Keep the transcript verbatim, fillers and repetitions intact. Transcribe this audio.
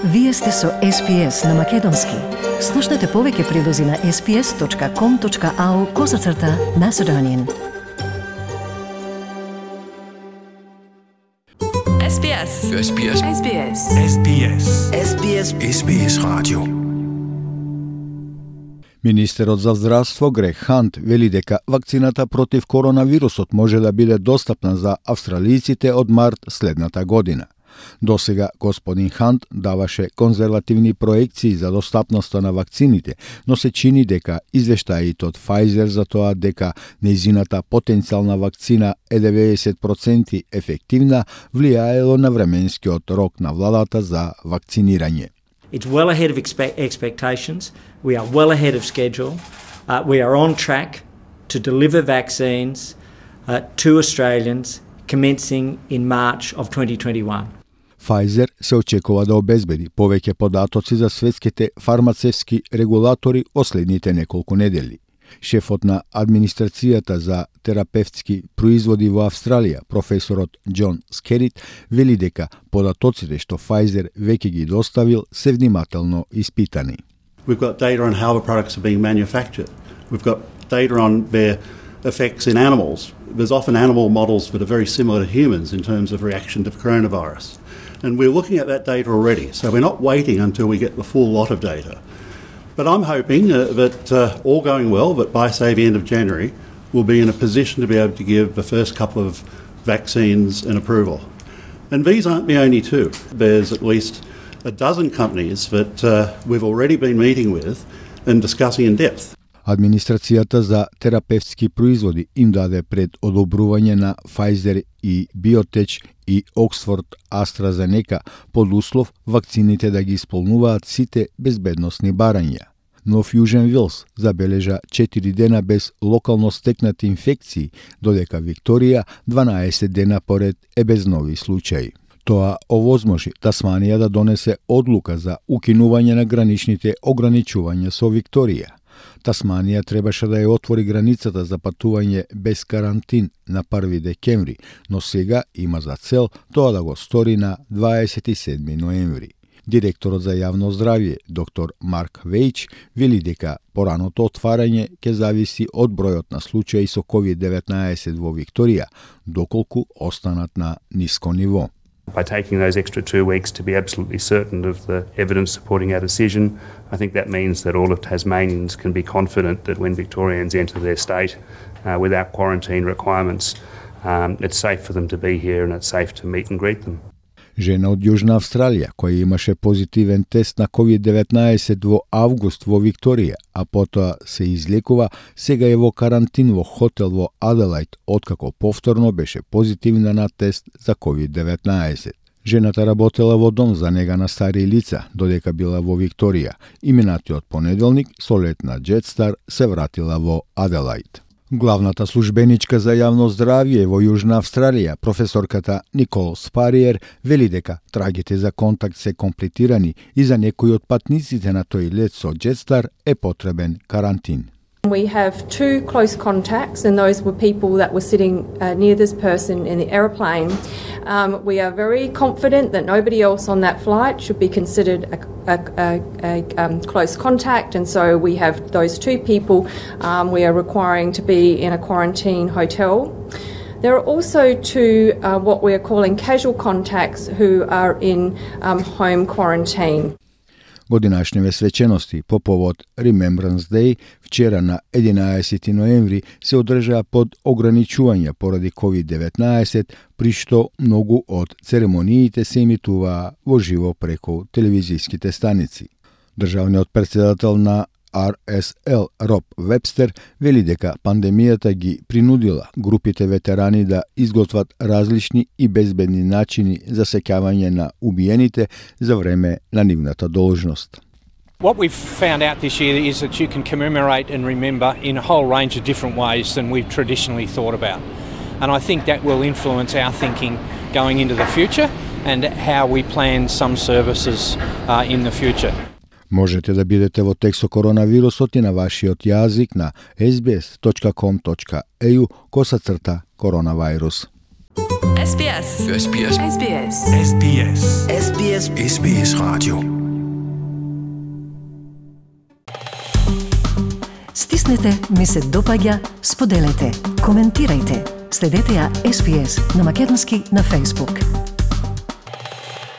Вие сте со Ес Би Ес на Македонски. Слушнете повеќе прилози на ес би ес точка ком точка ау козацрта Macedonian. Ес Би Ес. Ес Би Ес. Ес Би Ес. Ес Би Ес. Ес Би Ес. Ес Би Ес радио. Министерот за здравство Грег Хант вели дека вакцината против коронавирусот може да биде достапна за австралиците од март следната година. Досега господин Хант даваше конзервативни проекции за достапноста на вакцините, но се чини дека извештаите од Pfizer за тоа дека нејзината потенцијална вакцина е деветдесет проценти ефективна влијаело на временскиот рок на владата за вакцинирање. It's well ahead of expe- expectations. We are well ahead of schedule. Uh, we are on track to deliver vaccines uh, to Australians commencing in March of twenty twenty-one. Pfizer се очекува да обезбеди повеќе податоци за светските фармацевски регулатори последните неколку недели. Шефот на администрацијата за терапевтски производи во Австралија, професорот Џон Скерит, вели дека податоците што Pfizer веќе ги доставил се внимателно испитани. We've got data on how the products are being manufactured. We've got data on their effects in animals. There's often animal models that are very similar to humans in terms of reaction to coronavirus. And we're looking at that data already, so we're not waiting until we get the full lot of data. But I'm hoping uh, that uh, all going well, that by, say, the end of January, we'll be in a position to be able to give the first couple of vaccines an approval. And these aren't the only two. There's at least a dozen companies that uh, we've already been meeting with and discussing in depth. Администрацијата за терапевтски производи им даде пред одобрување на Pfizer и Biotech и Oxford AstraZeneca под услов вакцините да ги исполнуваат сите безбедносни барања. Но Фјужен Вилс забележа четири дена без локално стекнати инфекции, додека Викторија дванаесет дена поред е без нови случаи. Тоа овозможи Тасманија да донесе одлука за укинување на граничните ограничувања со Викторија. Тасманија требаше да ја отвори границата за патување без карантин на први декември, но сега има за цел тоа да го стори на дваесет и седми ноември. Директорот за јавно здравје, доктор Марк Вејч, вели дека пораното отварање ќе зависи од бројот на случаи со ковид деветнаесет во Викторија, доколку останат на ниско ниво. By taking those extra two weeks to be absolutely certain of the evidence supporting our decision, I think that means that all of Tasmanians can be confident that when Victorians enter their state uh, without quarantine requirements, um, it's safe for them to be here and it's safe to meet and greet them. Жена од Јужна Австралија, која имаше позитивен тест на ковид деветнаесет во август во Викторија, а потоа се излекува, сега е во карантин во хотел во Аделајд, откако повторно беше позитивна на тест за ковид деветнаесет. Жената работела во дом за нега на стари лица, додека била во Викторија, и минатиот понеделник со лет на Джетстар се вратила во Аделајд. Главната службеничка за јавно здравје во Јужна Австралија, професорката Никол Спариер, вели дека трагите за контакт се комплетирани и за некои од патниците на тој лет со Джетстар е потребен карантин. We have two close contacts, and those were people that were sitting uh, near this person in the aeroplane. Um, we are very confident that nobody else on that flight should be considered a, a, a, a um, close contact, and so we have those two people um, we are requiring to be in a quarantine hotel. There are also two uh, what we are calling casual contacts who are in um, home quarantine. Годинашниве свечености по повод Remembrance Day вчера на единаесети ноември се одржаа под ограничување поради ковид деветнаесет, при што многу од церемониите се емитуваа во живо преку телевизиските станици. Државниот претседател на Ар Ес Ел Роб Вебстер вели дека пандемијата ги принудила групите ветерани да изготват различни и безбедни начини за сеќавање на убиените за време на нивната должност. What we've found out this year is that you can commemorate and remember in a whole range of different ways than we've traditionally thought about. And I think that will influence our thinking going into the future and how we plan some services uh, in the future. Можете да бидете во текст со коронавирусот и на вашиот јазик на ес би ес точка ком точка ей ю косацрта коронавирус. S B S. S B S. S B S. S B S. S B S. S B S Radio. Стиснете, ми се допаѓа, споделете, коментирајте. Следете ја С Б С на македонски на Facebook.